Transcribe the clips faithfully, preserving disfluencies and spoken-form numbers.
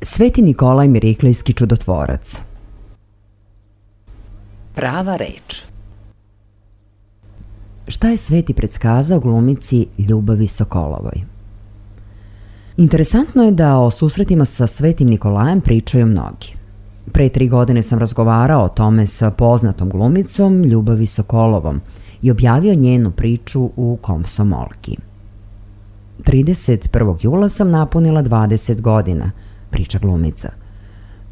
Sveti Nikolaj Miriklejski čudotvorac. Prava reč. Šta je Sveti predskazao glumici Ljubavi Sokolovoj? Interesantno je da o susretima sa Svetim Nikolajem pričaju mnogi. Pre tri godine sam razgovarao o tome sa poznatom glumicom Ljubavi Sokolovom i objavio njenu priču u Komsomolki. trideset prvog jula sam napunila dvadeset godina, priča glumica.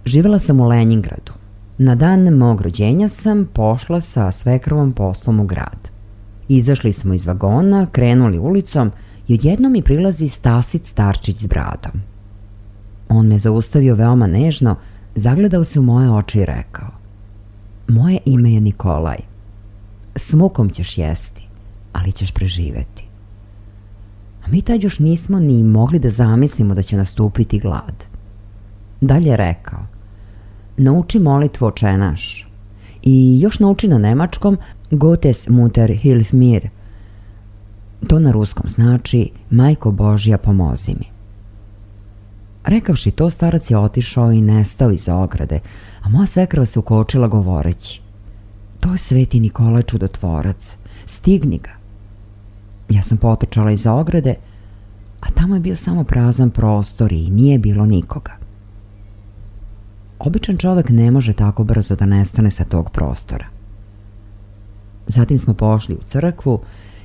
Živela sam u Lenjingradu. Na dan mog rođenja sam pošla sa svekrovom poslom u grad. Izašli smo iz vagona, krenuli ulicom i odjednom mi prilazi Stasit starčić s bradom. On me zaustavio veoma nežno, zagledao se u moje oči i rekao: moje ime je Nikolaj. S mukom ćeš jesti, ali ćeš preživeti. A mi tad još nismo ni mogli da zamislimo da će nastupiti glad. Dalje je rekao: nauči molitvu Oče naš i još nauči na nemačkom Gottes Mutter hilf mir. To na ruskom znači Majko Božja pomozi mi. Rekavši to, starac je otišao i nestao iza ograde, a moja svekrva se ukočila govoreći: to je Sveti Nikolaj čudotvorac, stigni ga. Ja sam potrčala iza ograde, a tamo je bio samo prazan prostor i nije bilo nikoga. Običan čovek ne može tako brzo da nestane sa tog prostora. Zatim smo pošli u crkvu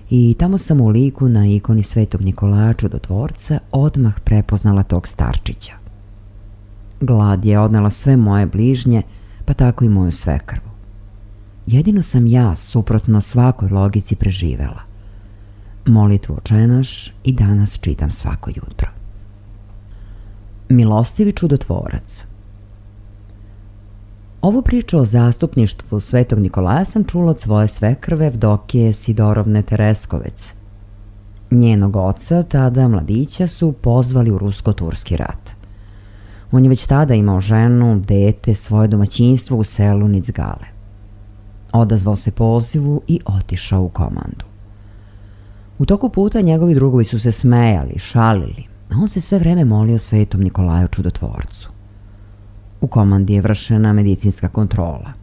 i tamo sam u liku na ikoni Svetog Nikolaja čudotvorca odmah prepoznala tog starčića. Glad je odnela sve moje bližnje, pa tako i moju svekrvu. Jedino sam ja, suprotno svakoj logici, preživela. Molitvu Oče naš i danas čitam svako jutro. Milostivi čudotvorac. Ovu priču o zastupništvu Svetog Nikolaja sam čula od svoje svekrve Evdokije Sidorovne Tereskovec. Njenog oca, tada mladića, su pozvali u rusko-turski rat. On je već tada imao ženu, dete, svoje domaćinstvo u selu Nicgale. Odazvao se pozivu i otišao u komandu. U toku puta njegovi drugovi su se smejali, šalili, a on se sve vreme molio Svetom Nikolaju Čudotvorcu. U komandi je vršena medicinska kontrola.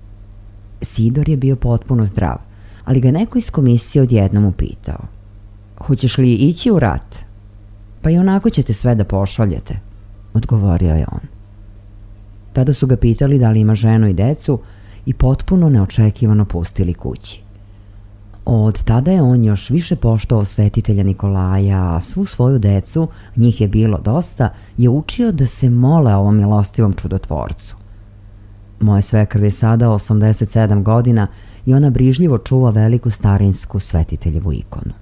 Sidor je bio potpuno zdrav, ali ga neko iz komisije odjednom upitao: "Hoćeš li ići u rat?" "Pa i onako ćete sve da pošaljete", odgovorio je on. Tada su ga pitali da li ima ženu i decu i potpuno neočekivano pustili kući. Od tada je on još više poštovao svetitelja Nikolaja, a svu svoju decu, njih je bilo dosta, je učio da se mole ovom milostivom čudotvorcu. Moje svekrv je sada osamdeset sedam godina i ona brižljivo čuva veliku starinsku svetiteljevu ikonu.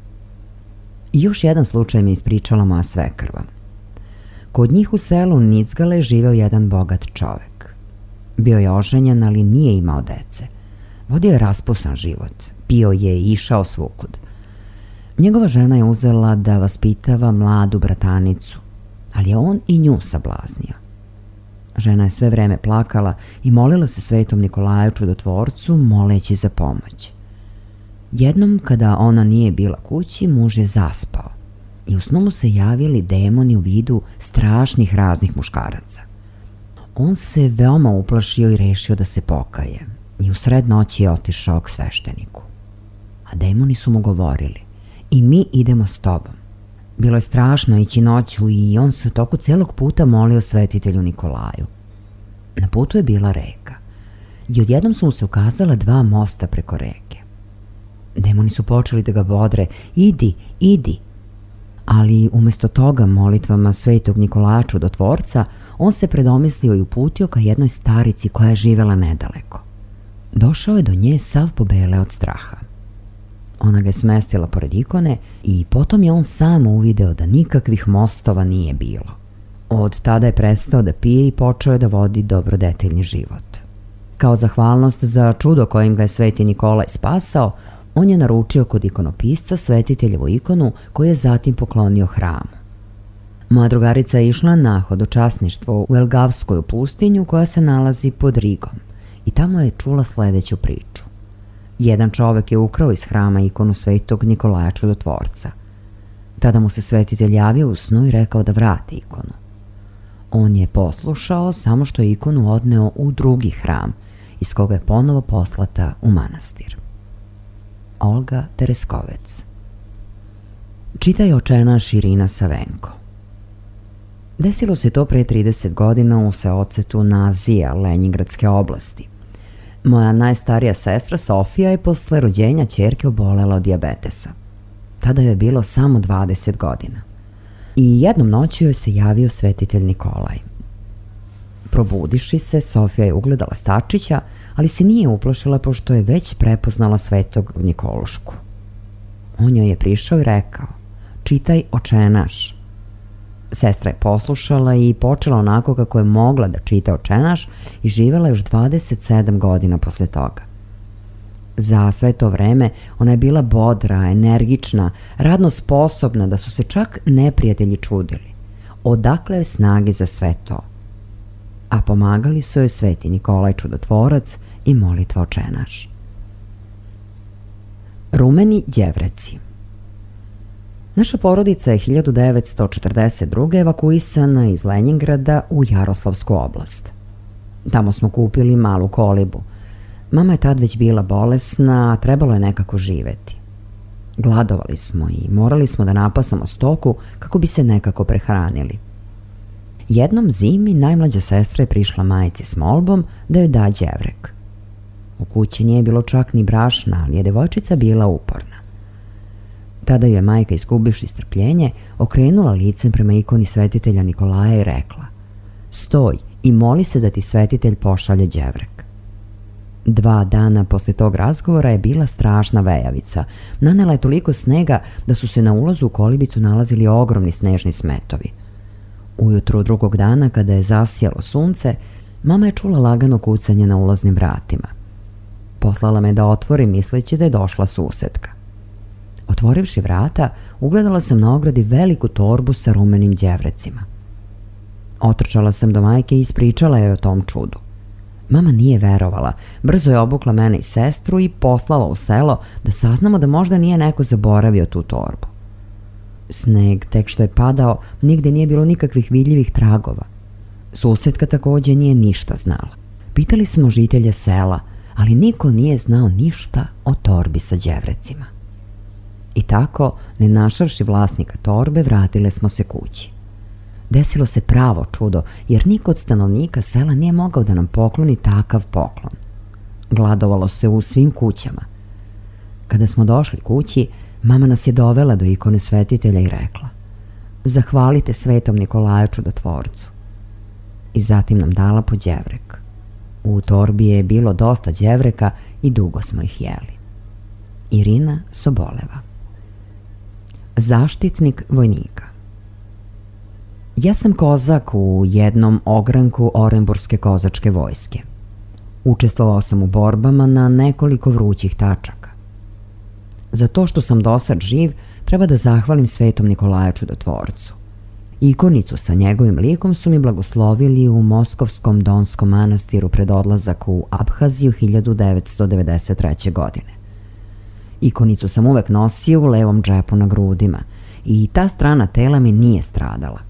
I još jedan slučaj mi ispričala moja svekrva. Kod njih u selu Nicgale živeo jedan bogat čovek. Bio je oženjen, ali nije imao dece. Vodio je raspusan život, pio je i išao svukud. Njegova žena je uzela da vaspitava mladu bratanicu, ali je on i nju sablaznio. Žena je sve vreme plakala i molila se Svetom Nikolaju Čudotvorcu, moleći za pomoć. Jednom, kada ona nije bila kući, muž je zaspao i u snu mu se javili demoni u vidu strašnih raznih muškaraca. On se veoma uplašio i rešio da se pokaje i u sred noći je otišao k svešteniku. A demoni su mu govorili: "I mi idemo s tobom." Bilo je strašno ići noću i on se u toku celog puta molio svetitelju Nikolaju. Na putu je bila reka i odjednom su mu se ukazala dva mosta preko reke. Demoni su počeli da ga bodre: "Idi, idi." Ali umesto toga, molitvama Svetog Nikolaja Čudotvorca, on se predomislio i uputio ka jednoj starici koja je živela nedaleko. Došao je do nje sav pobele od straha. Ona ga je smestila pored ikone i potom je on sam uvideo da nikakvih mostova nije bilo. Od tada je prestao da pije i počeo je da vodi dobrodeteljni život. Kao zahvalnost za čudo kojim ga je Sveti Nikolaj spasao, on je naručio kod ikonopisca svetiteljevu ikonu koju je zatim poklonio hramu. Moja drugarica je išla na hodočasništvo u Elgavskoju pustinju koja se nalazi pod Rigom i tamo je čula sledeću priču. Jedan čovek je ukrao iz hrama ikonu Svetog Nikolaja Čudotvorca. Tada mu se svetitelj javio u snu i rekao da vrati ikonu. On je poslušao, samo što je ikonu odneo u drugi hram, iz koga je ponovo poslata u manastir. Olga Tereskovec. Čita očenaš Irina Savenko. Desilo se to pre trideset godina u seocetu Nazija, Lenjingradske oblasti. Moja najstarija sestra Sofija je posle rođenja ćerke obolela od dijabetesa. Tada joj je bilo samo dvadeset godina. I jednom noću joj se javio svetitelj Nikolaj. Probudiši se, Sofija je ugledala stačića, ali se nije uplašila pošto je već prepoznala Svetog Nikolušku. On joj je prišao i rekao: "Čitaj očenaš." Sestra je poslušala i počela onako kako je mogla da čita očenaš i živela još dvadeset sedam godina posle toga. Za sve to vreme ona je bila bodra, energična, radno sposobna da su se čak neprijatelji čudili. Odakle joj snage za sve to? A pomagali su joj Sveti Nikolaj Čudotvorac i molitva očenaš. Rumeni đevreci. Naša porodica je hiljadu devetsto četrdeset druge evakuisana iz Lenjingrada u Jaroslavsku oblast. Tamo smo kupili malu kolibu. Mama je tad već bila bolesna, a trebalo je nekako živeti. Gladovali smo i morali smo da napasamo stoku kako bi se nekako prehranili. Jednom zimi najmlađa sestra je prišla majci s molbom da joj da đevrek. U kući nije bilo čak ni brašna, ali je devojčica bila uporna. Tada joj je majka, izgubivši strpljenje, okrenula licem prema ikoni svetitelja Nikolaja i rekla: "Stoj i moli se da ti svetitelj pošalje đevrek." Dva dana posle tog razgovora je bila strašna vejavica. Nanela je toliko snega da su se na ulazu u kolibicu nalazili ogromni snežni smetovi. Ujutru drugog dana, kada je zasijalo sunce, mama je čula lagano kucanje na ulaznim vratima. Poslala me da otvorim, misleći da je došla susedka. Otvorivši vrata, ugledala sam na ogradi veliku torbu sa rumenim đevrecima. Otrčala sam do majke i ispričala joj o tom čudu. Mama nije verovala, brzo je obukla mene i sestru i poslala u selo da saznamo da možda nije neko zaboravio tu torbu. Sneg, tek što je padao, nigde nije bilo nikakvih vidljivih tragova. Susedka takođe nije ništa znala. Pitali smo žitelje sela, ali niko nije znao ništa o torbi sa đevrecima. I tako, ne našavši vlasnika torbe, vratile smo se kući. Desilo se pravo čudo, jer niko od stanovnika sela nije mogao da nam pokloni takav poklon. Gladovalo se u svim kućama. Kada smo došli kući, mama nas je dovela do ikone svetitelja i rekla: "Zahvalite Svetom Nikolaju Čudotvorcu." I zatim nam dala po đevrek. U torbi je bilo dosta đevreka i dugo smo ih jeli. Irina Soboleva. Zaštitnik vojnika. Ja sam kozak u jednom ogranku Orenburske kozačke vojske. Učestvovao sam u borbama na nekoliko vrućih tačaka. Za to što sam dosad živ, treba da zahvalim Svetom Nikolaju Čudotvorcu. Ikonicu sa njegovim likom su mi blagoslovili u Moskovskom Donskom manastiru pred odlazak u Abhaziju hiljadu devetsto devedeset treće. godine. Ikonicu sam uvek nosio u levom džepu na grudima i ta strana tela mi nije stradala.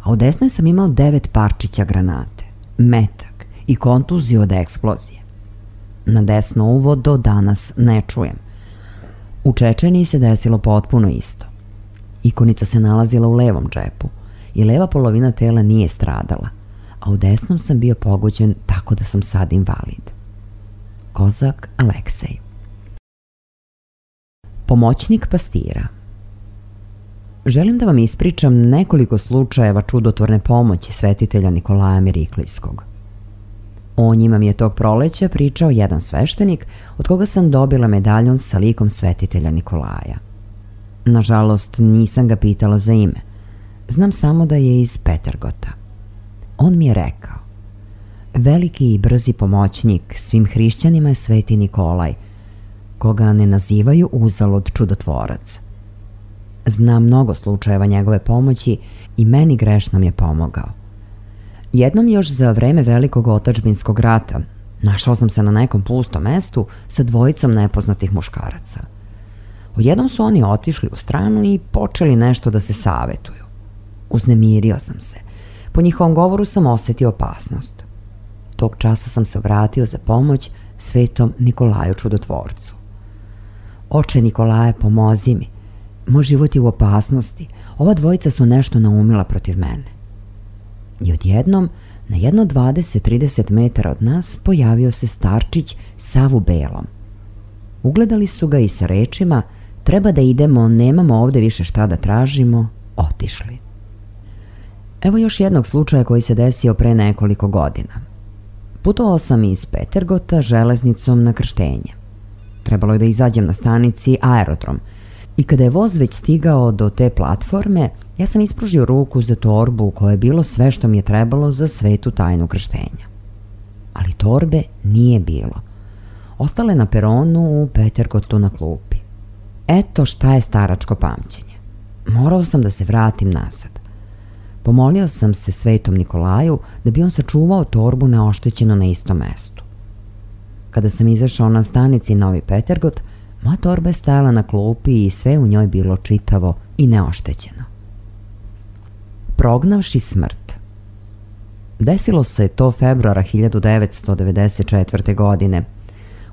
A u desnoj sam imao devet parčića granate, metak i kontuziju od eksplozije. Na desno uvo do danas ne čujem. U Čečeniji se desilo potpuno isto. Ikonica se nalazila u levom džepu i leva polovina tela nije stradala, a u desnom sam bio pogođen tako da sam sad invalid. Kozak Aleksej. Pomoćnik pastira. Želim da vam ispričam nekoliko slučajeva čudotvorne pomoći svetitelja Nikolaja Miriklijskog. O njima mi je tog proleća pričao jedan sveštenik od koga sam dobila medaljon sa likom svetitelja Nikolaja. Nažalost, nisam ga pitala za ime. Znam samo da je iz Petergota. On mi je rekao: "Veliki i brzi pomoćnik svim hrišćanima je Sveti Nikolaj, koga ne nazivaju uzalud čudotvorac. Znam mnogo slučajeva njegove pomoći i meni grešnom je pomogao. Jednom još za vreme Velikog otadžbinskog rata našao sam se na nekom pustom mestu sa dvojicom nepoznatih muškaraca. Odjednom su oni otišli u stranu i počeli nešto da se savetuju. Uznemirio sam se. Po njihovom govoru sam osetio opasnost. Tog časa sam se obratio za pomoć Svetom Nikolaju Čudotvorcu. Oče Nikolaje, pomozi mi. Moj život je u opasnosti. Ova dvojica su nešto naumila protiv mene." I odjednom, na jedno dvadeset do trideset metara od nas, pojavio se starčić sav u belom. Ugledali su ga i sa rečima: "Treba da idemo, nemamo ovde više šta da tražimo", otišli. Evo još jednog slučaja koji se desio pre nekoliko godina. Putovao sam iz Petergota železnicom na krštenje. Trebalo je da izađem na stanici Aerodrom i kada je voz već stigao do te platforme, ja sam ispružio ruku za torbu u kojoj je bilo sve što mi je trebalo za svetu tajnu krštenja. Ali torbe nije bilo. Ostale na peronu u Petergotu na klupi. Eto šta je staračko pamćenje. Morao sam da se vratim nazad. Pomolio sam se Svetom Nikolaju da bi on sačuvao torbu neoštećeno na istom mestu. Kada sam izašao na stanici Novi Petergot, moja torba je stajala na klupi i sve u njoj bilo čitavo i neoštećeno. Prognavši smrt. Desilo se to februara hiljadu devetsto devedeset četvrte. godine.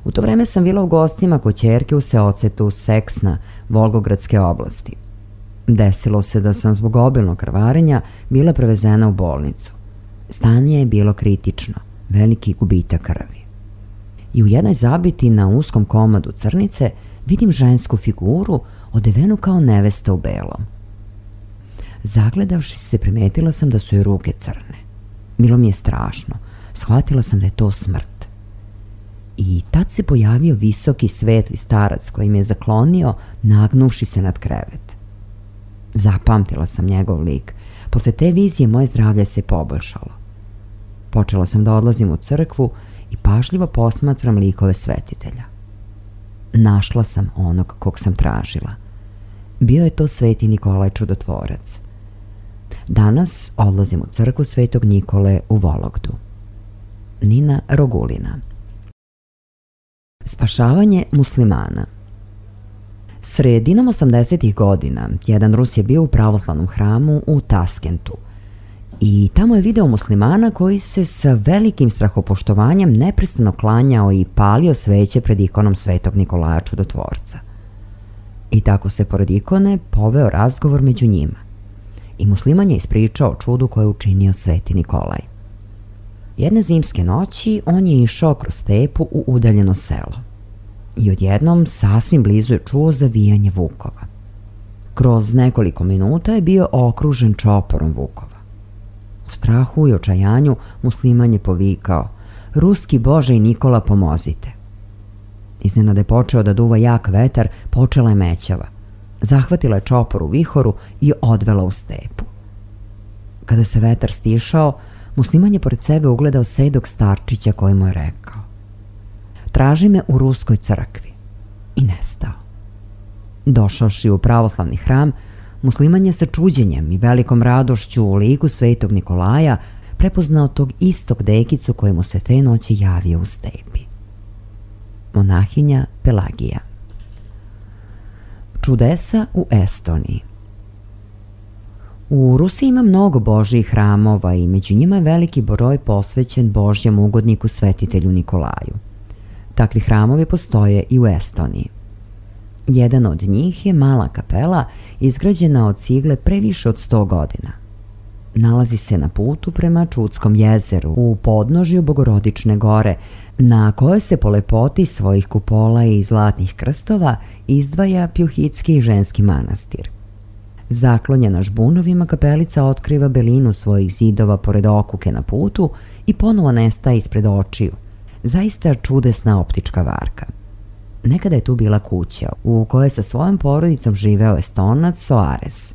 U to vreme sam bila u gostima kod ćerke u seocetu Seksna, Volgogradske oblasti. Desilo se da sam zbog obilnog krvarenja bila prevezena u bolnicu. Stanje je bilo kritično, veliki gubitak krvi. I u jednoj zabiti na uskom komadu crnice vidim žensku figuru odevenu kao nevesta u belom. Zagledavši se, primetila sam da su joj ruke crne. Bilo mi je strašno. Shvatila sam da je to smrt. I tad se pojavio visoki svetli starac koji me je zaklonio, nagnuvši se nad krevet. Zapamtila sam njegov lik. Posle te vizije moje zdravlje se poboljšalo. Počela sam da odlazim u crkvu i pažljivo posmatram likove svetitelja. Našla sam onog kog sam tražila. Bio je to Sveti Nikolaj Čudotvorac. Danas odlazim u crkvu Svetog Nikole u Vologdu. Nina Rogulina. Spašavanje muslimana. Sredinom osamdesetih godina jedan Rus je bio u pravoslavnom hramu u Taskentu i tamo je video muslimana koji se sa velikim strahopoštovanjem neprestano klanjao i palio sveće pred ikonom Svetog Nikolaja Čudotvorca. I tako se pored ikone poveo razgovor među njima i musliman je ispričao čudu koje je učinio Sveti Nikolaj. Jedne zimske noći on je išao kroz stepu u udaljeno selo i odjednom sasvim blizu je čuo zavijanje vukova. Kroz nekoliko minuta je bio okružen čoporom vukova. U strahu i očajanju musliman je povikao: "Ruski Bože i Nikola, pomozite!" Iznenada je počeo da duva jak vetar, počela je mećava. Zahvatila je čopor u vihoru i odvela u stepu. Kada se vetar stišao, musliman je pored sebe ugledao sedog starčića koji mu je rekao: "Traži me u ruskoj crkvi." I nestao. Došavši u pravoslavni hram, musliman je sa čuđenjem i velikom radošću u liku Svetog Nikolaja prepoznao tog istog dekicu koji mu se te noći javio u stepi. Monahinja Pelagija. Čudesa u Estoniji. U Rusiji ima mnogo božjih hramova i među njima je veliki broj posvećen Božjem ugodniku Svetitelju Nikolaju. Takvi hramovi postoje i u Estoniji. Jedan od njih je mala kapela izgrađena od cigle pre više od sto godina. Nalazi se na putu prema Čudskom jezeru u podnožju Bogorodične gore, na kojoj se po lepoti svojih kupola i zlatnih krstova izdvaja Pjuhitski ženski manastir. Zaklonjena žbunovima, kapelica otkriva belinu svojih zidova pored okuke na putu i ponovo nestaje ispred očiju. Zaista čudesna optička varka. Nekada je tu bila kuća u kojoj je sa svojom porodicom živeo Estonac Soares,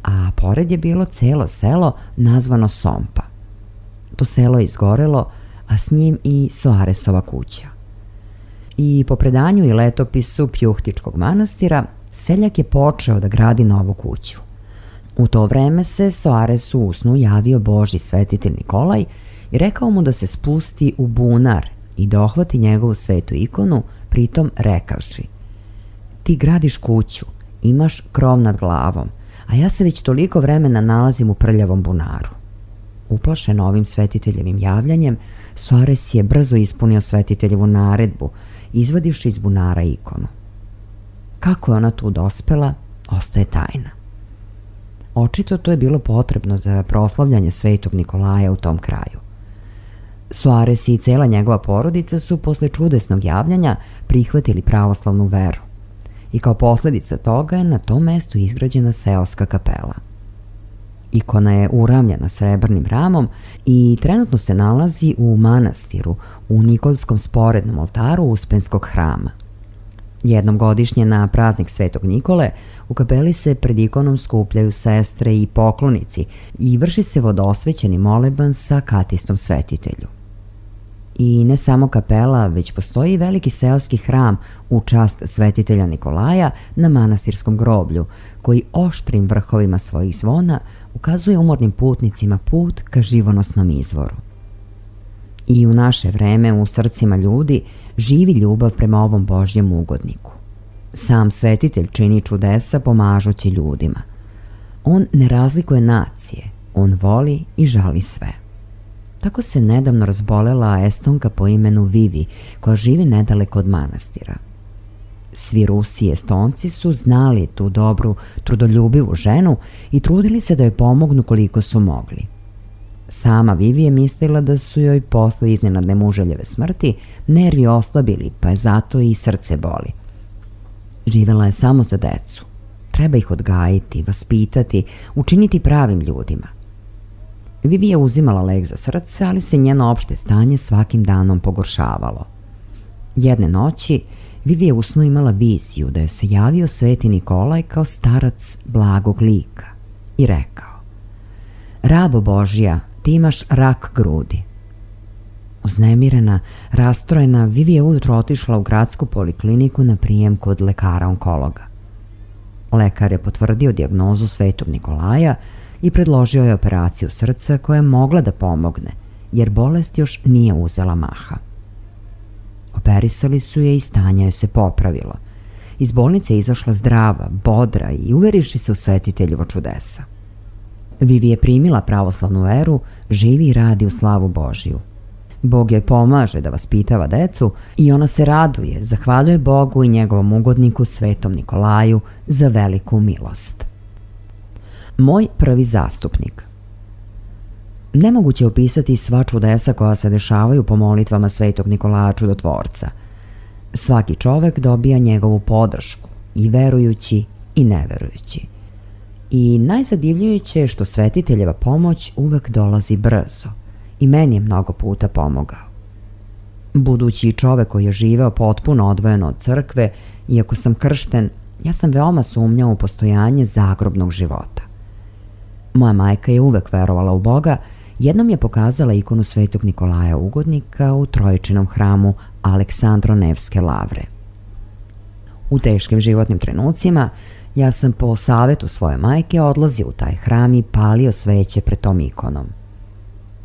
a pored je bilo celo selo nazvano Sompa. To selo je izgorelo, a s njim i Soaresova kuća. I po predanju i letopisu Pjuhtičkog manastira, seljak je počeo da gradi novu kuću. U to vreme se Soaresu u snu javio Božji svetitelj Nikolaj i rekao mu da se spusti u bunar i dohvati njegovu svetu ikonu, pritom rekavši: "Ti gradiš kuću, imaš krov nad glavom, a ja se već toliko vremena nalazim u prljavom bunaru." Uplašen ovim svetiteljevim javljanjem, Soares je brzo ispunio svetiteljevu naredbu, izvadivši iz bunara ikonu. Kako je ona tu dospela, ostaje tajna. Očito to je bilo potrebno za proslavljanje Svetog Nikolaja u tom kraju. Soares i cela njegova porodica su posle čudesnog javljanja prihvatili pravoslavnu veru i kao posledica toga je na tom mestu izgrađena seoska kapela. Ikona je uramljena srebrnim ramom i trenutno se nalazi u manastiru u Nikolskom sporednom oltaru Uspenskog hrama. Jednom godišnje na praznik Svetog Nikole u kapeli se pred ikonom skupljaju sestre i poklonici i vrši se vodosvećeni moleban sa katistom svetitelju. I ne samo kapela, već postoji i veliki seoski hram u čast svetitelja Nikolaja na manastirskom groblju, koji oštrim vrhovima svojih zvona ukazuje umornim putnicima put ka živonosnom izvoru. I u naše vreme u srcima ljudi živi ljubav prema ovom Božjem ugodniku. Sam svetitelj čini čudesa pomažući ljudima. On ne razlikuje nacije, on voli i žali sve. Tako se nedavno razbolela Estonka po imenu Vivi, koja živi nedaleko od manastira. Svi Rusi i Estonci su znali tu dobru, trudoljubivu ženu i trudili se da joj pomognu koliko su mogli. Sama Vivi je mislila da su joj posle iznenadne muževljeve smrti nervi oslabili, pa je zato i srce boli. Živela je samo za decu. Treba ih odgajiti, vaspitati, učiniti pravim ljudima. Vivi je uzimala lek za srce, ali se njeno opšte stanje svakim danom pogoršavalo. Jedne noći Vivi je u snu imala viziju da je se javio Sveti Nikolaj kao starac blagog lika i rekao: "Rabo Božja, ti imaš rak grudi." Uznemirena, rastrojena, Vivi je ujutro otišla u gradsku polikliniku na prijem kod lekara onkologa. Lekar je potvrdio dijagnozu Svetog Nikolaja i predložio je operaciju srca koja je mogla da pomogne, jer bolest još nije uzela maha. Operisali su je i stanje joj se popravilo iz bolnice je izašla zdrava, bodra i uverivši se u svetiteljevo čudesa. Vivi je primila pravoslavnu veru, živi i radi u slavu Božiju. Bog joj pomaže da vaspitava decu i ona se raduje, zahvaljuje Bogu i njegovom ugodniku Svetom Nikolaju za veliku milost. Moj prvi zastupnik. Nemoguće je opisati sva čudesa koja se dešavaju po molitvama Svetog Nikolaja Čudotvorca. Svaki čovek dobija njegovu podršku, i verujući i neverujući. I najzadivljujuće je što svetiteljeva pomoć uvek dolazi brzo i meni je mnogo puta pomogao. Budući čovek koji je živeo potpuno odvojeno od crkve, iako sam kršten, ja sam veoma sumnjao u postojanje zagrobnog života. Moja majka je uvek verovala u Boga, jednom je pokazala ikonu Svetog Nikolaja Ugodnika u Trojičinom hramu Aleksandro-Nevske lavre. U teškim životnim trenucima ja sam po savetu svoje majke odlazio u taj hram i palio sveće pred tom ikonom.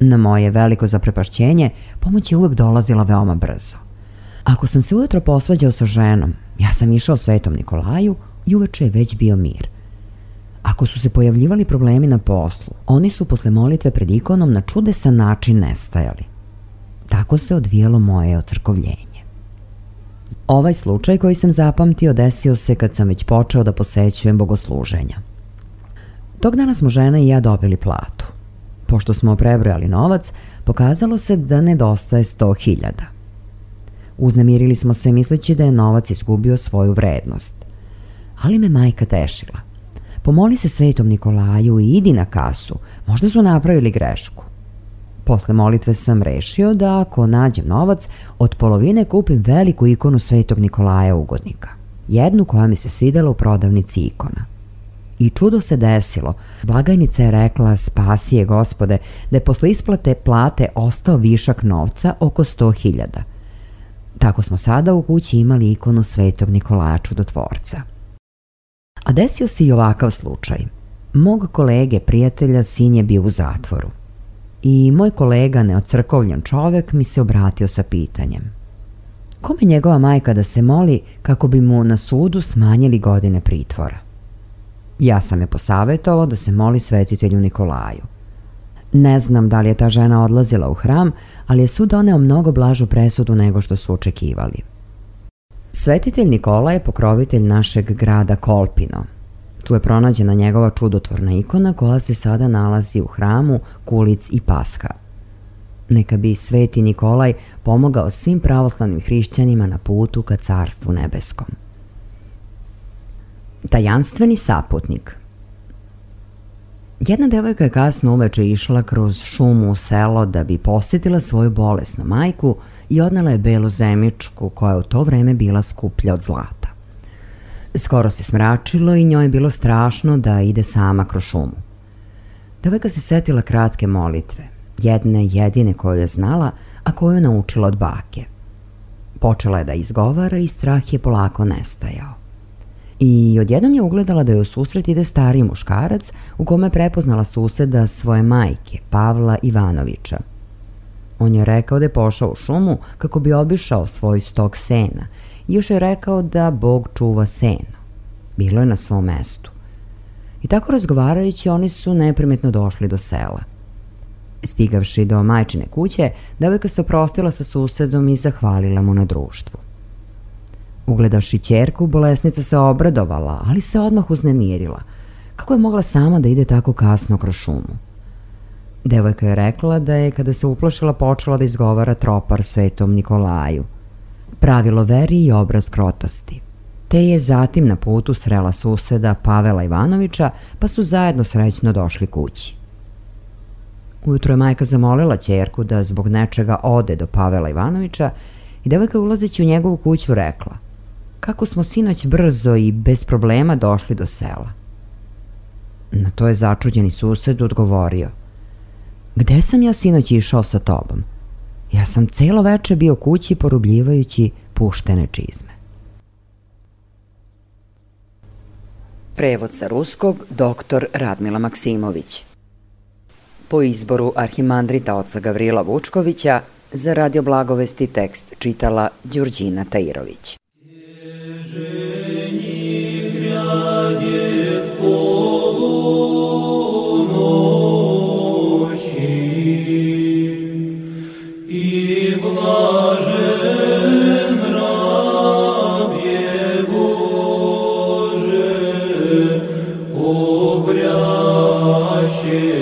Na moje veliko zaprepašćenje, pomoć je uvek dolazila veoma brzo. Ako sam se ujutro posvađao sa ženom, ja sam išao Svetom Nikolaju i uveče je već bio mir. Ako su se pojavljivali problemi na poslu, oni su posle molitve pred ikonom na čudesan način nestajali. Tako se odvijelo moje ocrkovljenje. Ovaj slučaj koji sam zapamtio desio se kad sam već počeo da posećujem bogosluženja. Tog dana smo žena i ja dobili platu. Pošto smo prebrojali novac, pokazalo se da nedostaje sto hiljada. Uznemirili smo se misleći da je novac izgubio svoju vrednost. Ali me majka tešila. Pomoli se Svetom Nikolaju i idi na kasu, možda su napravili grešku. Posle molitve sam rešio da ako nađem novac, od polovine kupim veliku ikonu Svetog Nikolaja Ugodnika. Jednu koja mi se svidela u prodavnici ikona. I čudo se desilo. Blagajnica je rekla, spasi je Gospode, da je posle isplate plate ostao višak novca oko sto hiljada. Tako smo sada u kući imali ikonu Svetog Nikolaja Čudotvorca. A desio se i ovakav slučaj. Mog kolege, prijatelja, sin je bio u zatvoru. I moj kolega, neocrkovljen čovek, mi se obratio sa pitanjem. Kome njegova majka da se moli kako bi mu na sudu smanjili godine pritvora? Ja sam je posavetovao da se moli svetitelju Nikolaju. Ne znam da li je ta žena odlazila u hram, ali je sud doneo mnogo blažu presudu nego što su očekivali. Svetitelj Nikola je pokrovitelj našeg grada Kolpino. Tu je pronađena njegova čudotvorna ikona koja se sada nalazi u hramu Kulic i Pasha. Neka bi Sveti Nikolaj pomogao svim pravoslavnim hrišćanima na putu ka Carstvu nebeskom. Tajanstveni saputnik. Jedna devojka je kasno uveče išla kroz šumu u selo da bi posjetila svoju bolesnu majku i odnela je belu zemičku koja je u to vreme bila skuplja od zlata. Skoro se smračilo i njoj je bilo strašno da ide sama kroz šumu. Devojka se setila kratke molitve, jedne jedine koju je znala, a koju je naučila od bake. Počela je da izgovara i strah je polako nestajao. I odjednom je ugledala da joj u susret ide stariji muškarac u kome je prepoznala suseda svoje majke, Pavla Ivanovića. On je rekao da je pošao u šumu kako bi obišao svoj stok sena i još je rekao da Bog čuva seno. Bilo je na svom mestu. I tako razgovarajući oni su neprimetno došli do sela. Stigavši do majčine kuće, devojka se oprostila sa susedom i zahvalila mu na društvu. Ugledavši ćerku, bolesnica se obradovala, ali se odmah uznemirila. Kako je mogla sama da ide tako kasno kroz šumu? Devojka je rekla da je, kada se uplašila, počela da izgovara tropar Svetom Nikolaju. Pravilo veri i obraz krotosti. Te je zatim na putu srela suseda Pavela Ivanovića, pa su zajedno srećno došli kući. Ujutro je majka zamolila ćerku da zbog nečega ode do Pavela Ivanovića i devojka ulazeći u njegovu kuću rekla: kako smo sinoć brzo i bez problema došli do sela. Na to je začuđeni sused odgovorio: gde sam ja sinoć išao sa tobom? Ja sam celo veče bio kući porubljivajući puštene čizme. Prevod sa ruskog doktor Radmila Maksimović. Po izboru arhimandrita oca Gavrila Vučkovića, za Radio Blagovesti tekst čitala Đurđina Tairović. Помилуй.